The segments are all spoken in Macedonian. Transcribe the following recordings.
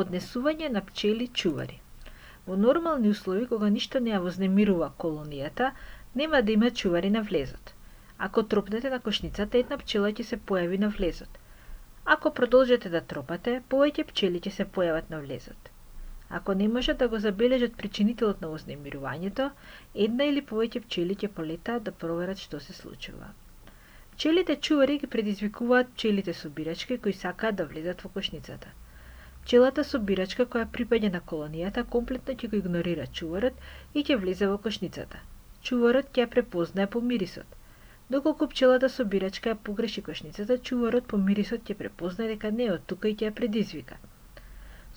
Однесување на пчели чувари. Во нормални услови, кога ништо не ја вознемирува колонијата, нема да има чувари на влезот. Ако тропнете на кошницата, една пчела ќе се појави на влезот. Ако продолжите да тропате, повеќе пчели ќе се појават на влезот. Ако не можат да го забележат причинителот на вознемирувањето, една или повеќе пчели ќе полетаат да проверат што се случува. Пчелите чувари ги предизвикуваат пчелите собирачки кои сакаат да влезат во кошницата. Пчелата собирачка која припаѓа на колонијата комплетно ќе го игнорира чуварот и ќе влезе во кошницата. Чуварот ќе ја препознае по мирисот. Доколку пчелата собирачка ја погреши кошницата, чуварот по мирисот ќе препознае дека не е од тука и ќе ја предизвика.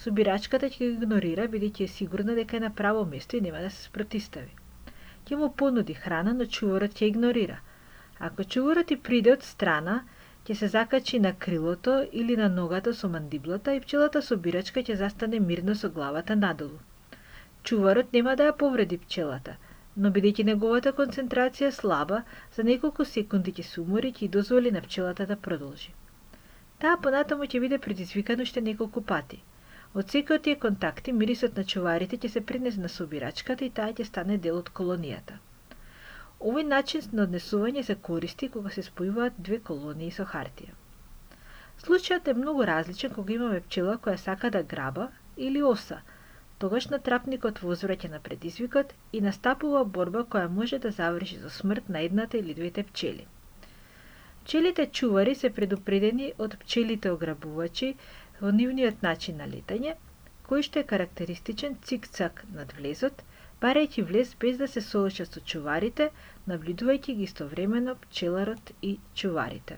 Собирачката ќе го игнорира бидејќи е сигурна дека е на право место и нема да се спротистави. Ќе му понуди храна, но чуварот ќе игнорира. Ако чуварот и приде од страна, ќе се закачи на крилото или на ногата со мандиблата и пчелата собирачка ќе застане мирно со главата надолу. Чуварот нема да ја повреди пчелата, но бидејќи неговата концентрација слаба, за неколку секунди ќе се умори и ќе дозволи на пчелата да продолжи. Таа понатаму ќе биде предизвикана уште неколку пати. Од секој од тие контакти, мирисот на чуварите ќе се принесе на собирачката и таа ќе стане дел од колонијата. Овој начин на однесување се користи кога се спојуваат две колонии со хартија. Случајот е многу различен кога имаме пчела која сака да граба или оса. Тогаш натрапникот возвраќа на предизвикот и настапува борба која може да заврши со смрт на едната или двете пчели. Пчелите чувари се предупредени од пчелите ограбувачи во нивниот начин на летање, кој што е карактеристичен цик-цак над влезот, барајќи влез без да се соочат со чуварите, набљудувајќи ги истовремено пчеларот и чуварите.